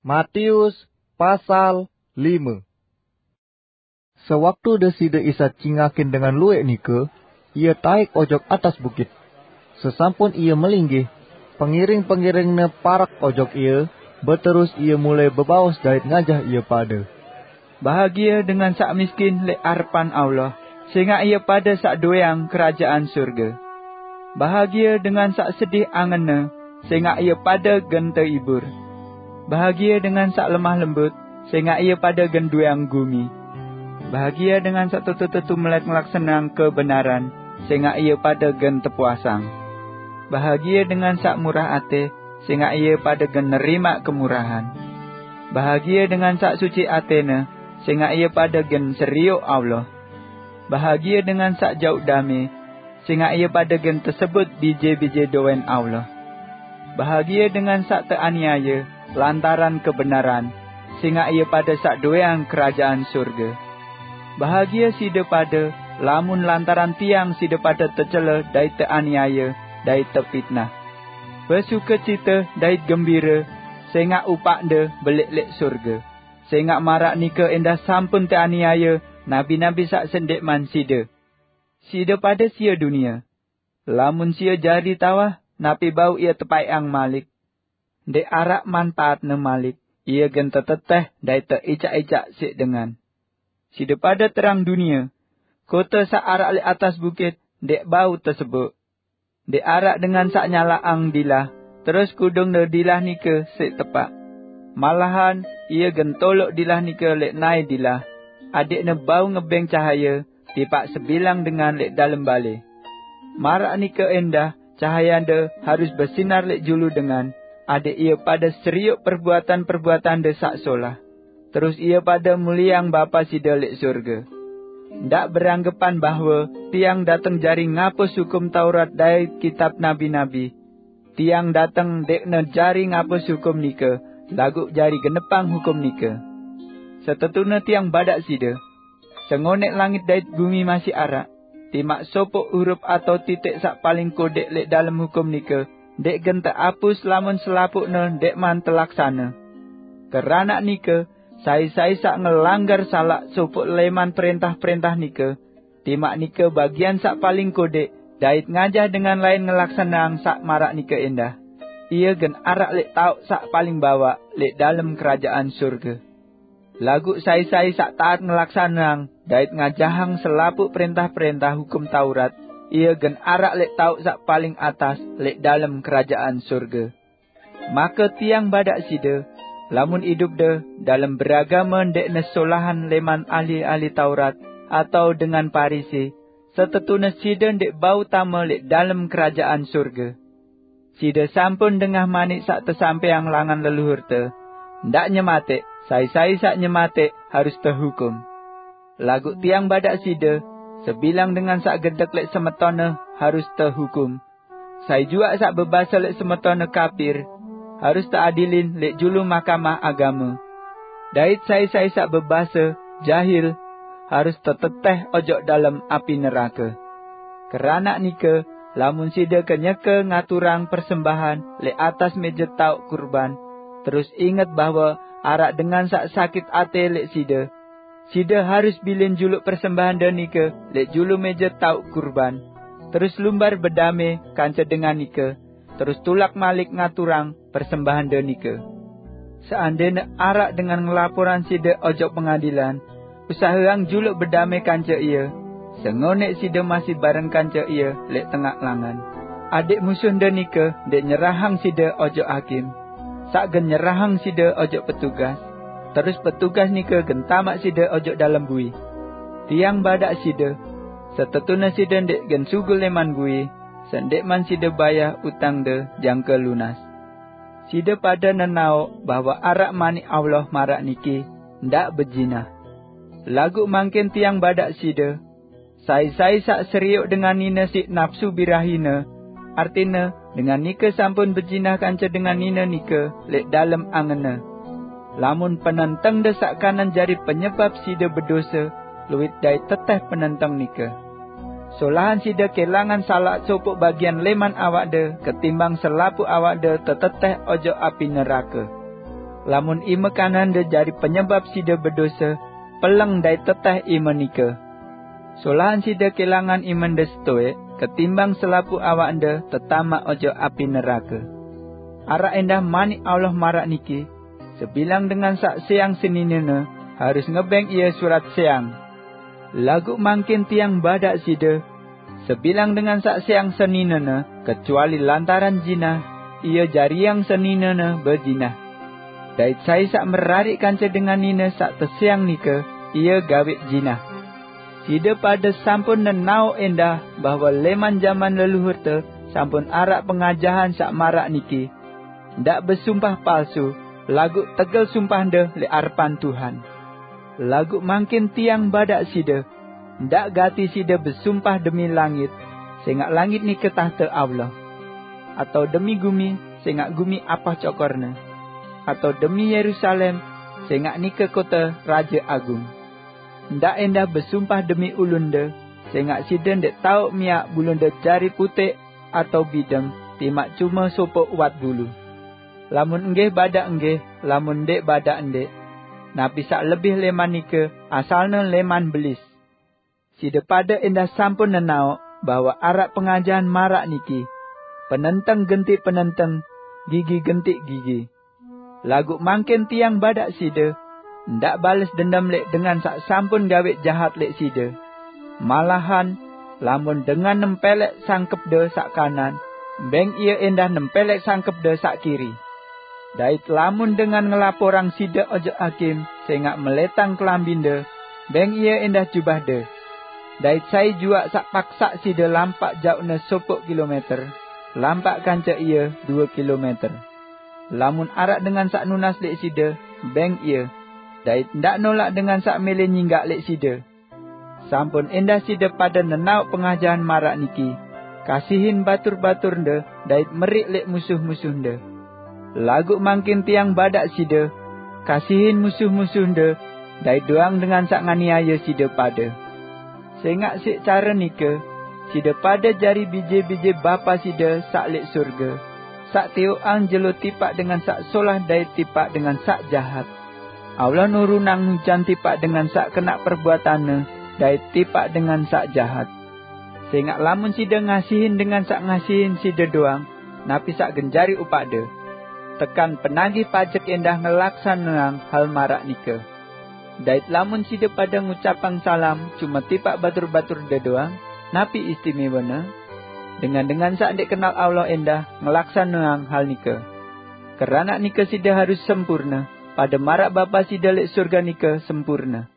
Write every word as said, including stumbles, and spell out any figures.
Matius pasal lime. Sewaktu Deside Isa cingakin dengan luwek nike, Ie taik ojok atas bukit. Sesampun Ie melinggih, pengiring-pengiring-Ne parak ojok Ie, beterus Ie mulai bebaos dait ngajah ie pade. Bahagie dengan sak miskin lek arepan Allah, sengak ie pade sak doeang kerajaan surge. Bahagie dengan sak sedih angenne, sengak ie pade gen teibur. Bahagie dengan sak lemah lembut, sengak ie pade gen doeang gumi. Bahagie dengan sak tetu-tetu melek ngelaksaneang kebenaran, sengak ie pade gen tepuasang. Bahagie dengan sak murah ate, sengak ie pade gen nerimak kemurahan. Bahagie dengan sak suci atene, sengak ie pade gen seriuk Allah. Bahagie dengan sak jauk dame, sengak ie pade gen tesebut bije-bije doen Allah. Bahagie dengan sak teaniaye lantaran kebenaran, sengak ie pade sak doeang kerajaan surge. Bahagie side pade, lamun lantaran tiang side pade tecele dait teaniaye dait tepitnah. Besukecite dait gembire, sengak upakde belik lek surge. Sengak marak nike endah sampun teaniaye nabi-nabi sak sendikman side. Side pade sie dunie. Lamun sie jari tawah, napi bau ie tepaikang malik? Ndek arak manpaatne malik, ie gen teteteh dait teicak-icak sik dengan. Side pade terang dunie. Kote sak arak lek atas bukit ndek bau tesebuk. Ndek arak dengan sak nyalakang dilah, terus kudungne dilah nike sik tepak. Malahan, ie gen tolok dilah nike lek nae dilah, adikne bau ngebeng cahaye tipak sebilang dengan lek dalem bale. Marak nike endah, cahayande harus besinar lek julu dengan, adik ie pade seriuk perbuatan-perbuatande sak solah. Terus ie pade muliang Bapa side lek surge. Ndak beranggepan bahwe tiang dateng jari ngapus hukum Taurat dait kitab nabi-nabi. Tiang dateng ndekne jari ngapus hukum nike, laguq jari genepang hukum nike. Setetune tiang badak side, sengonek langit dait gumi masih arak, timaq sopoq urup atau titik saq paling kodeq leq dalem hukum nike ndeq gen teapus lamun selapuqne ndeqman telaksane. Keranaq nike, sai-sai saq ngelanggar salaq sopoq leman prentah-prentah nike, timaq nike bagian saq paling kodeq, dait ngajah dengan lain ngelaksaneang saq maraq nike endah, ie gen araq leq taoq saq paling bawaq leq dalem Kerajaan Surge. Laguq sai-sai saq taat ngelaksaneang dait ngajahang selapuq prentah-prentah Hukum Taurat, ie gen araq leq taoq saq paling atas leq dalem Kerajaan Surge. Make tiang badak side, lamun idupde dalem beragame ndeqne solahan leman ahli-ahli Taurat atau dengan Parisi, setetune side ndeq bau tame leq dalem Kerajaan Surge. Side sampun dengah manik saq tesampeang langan leluhurte, "Ndaq nyemateq, sai-sai saq nyemateq harus tehukum." Laguq tiang badak side, sebilang dengan saq gedek leq semetonne harus tehukum. Sai juaq saq bebase leq semetonne kapir, harus teadilin leq julu Mahkamah Agame. Dait sai-sai saq bebase jahil, harus teteteh ojok dalem api nerake. Keranaq nike, lamun side kenyeke ngaturang persembahan leq atas meje taoq kurban, terus inget bahwe araq dengan saq sakit ate leq side, side harus bilin juluk persembahande nike leq julu meje taoq kurban, terus lumbar bedame kance dengan nike, terus tulak malik ngaturang persembahande nike. Seandene araq dengan ngelaporang side ojok pengadilan, usaheang juluk bedame kance ie, sengonek side masih bareng kance ie leq tengaq langan. Adeq musuhde nike ndeq nyerahang side ojok hakim, saq gen nyerahang side ojok petugas, terus petugas nike gen tamaq side ojok dalem bui. Tiang badak side, setetune side ndeq gen sugul leman bui, sendeqman side bayah utangde jangke lunas. Side pade nenaoq bahwe araq manik Allah maraq niki, "Ndaq bejinah." Laguq mangkin tiang badak side, sai-sai saq serioq dengan nine siq napsu birahine, artine, dengan nike sampun bejinah kance dengan nine nike leq dalem angenne. Lamun penentengde saq kanan jari penyebap side bedose, luit dait teteh penenteng nike. Solahan side kelangan salaq sopoq bagian leman awakde ketimbang selapuq awakde teteteh ojok api nerake. Lamun ime kanande jari penyebab side bedose, peleng dait teteh ime nike. Solahan side kelangan imende setoek, ketimbang selapuh awaknde tetamak ojok api nerake. Arak endah manik Allah marak niki, sebilang dengan sak seang seninene harus ngebeng ie surat seang. Laguq mangkin tiang badak side, sebilang dengan sak seang seninene, kecuali lantaran jinah, ie jariang seninene bejinah. Dait sai saq merarik kance dengan nine saq teseang nike, ie gawik jinah. Side pade sampun nenaoq endah bahwe leman jaman leluhurte sampun araq pengajahan saq maraq niki, ndaq besumpah palsu, laguq tegel sumpahde leq arepan Tuhan. Laguq mangkin tiang badak side, ndaq gati side besumpah demi langit, sengaq langit nike tahte Allah, atau demi gumi, sengaq gumi apoh cokorne, atau demi Yerusalem, sengaq nike kote Raje Agung. Ndaq endah besumpah demi ulunde, sengaq side ndeq taoq miaq bulunde jari puteq atau bideng, timaq cume sopoq uwat bulu. Lamun nggih badak nggih, lamun ndeq badak ndeq. Napi saq lebih leman nike, asalne leman belis. Side pade endah sampun nenaoq bahwe araq pengajahan maraq niki, penenteng genti penenteng, gigi genti gigi. Laguq mangkin tiang badak side, ndaq bales dendem leq dengan saq sampun gawik jahat leq side. Malahan, lamun dengan nempeleq sangkepde saq kanan, beng ie endah nempeleq sangkepde saq kiri. Dait lamun dengan ngelaporang side ojok hakim sengaq meletang kelambinde, beng ie endah jubahde. Dait sai juaq saq paksaq side lampaq jauqne sopoq kilometer, lampaq kance ie due kilometer. Lamun araq dengan saq nunas leq side, beng ie, dait ndaq nolaq dengan saq mele nyinggaq leq side. Sampun endah side pade nenaoq pengajahan maraq niki, kasihin batur-baturnde dait meriq leq musuh-musuhnde. Laguq mangkin tiang badak side, kasihin musuh-musuhnde, dait doang dengan saq nganiaye side pade. Sengaq siq care nike, side pade jari bije-bije Bapa side saq leq surge, saq tiuqang jelo tipaq dengan saq solah dait tipaq dengan saq jahat. Allah nurunang ujan tipaq dengan saq kenaq perbuatanne dait tipaq dengan saq jahat. Sengaq lamun side ngasihin dengan saq ngasihin side doang, napi saq gen jari upaqde? Tekan penagih pajek endah ngelaksaneang hal maraq nike. Dait lamun side pade ngucapang salam cume tipaq batur-baturde doang, napi istimewene? Dengan-dengan saq ndeq kenal Allah endah ngelaksaneang hal nike. Keranaq nike side harus sempurne, pade maraq Bapa side leq surge nike sempurne.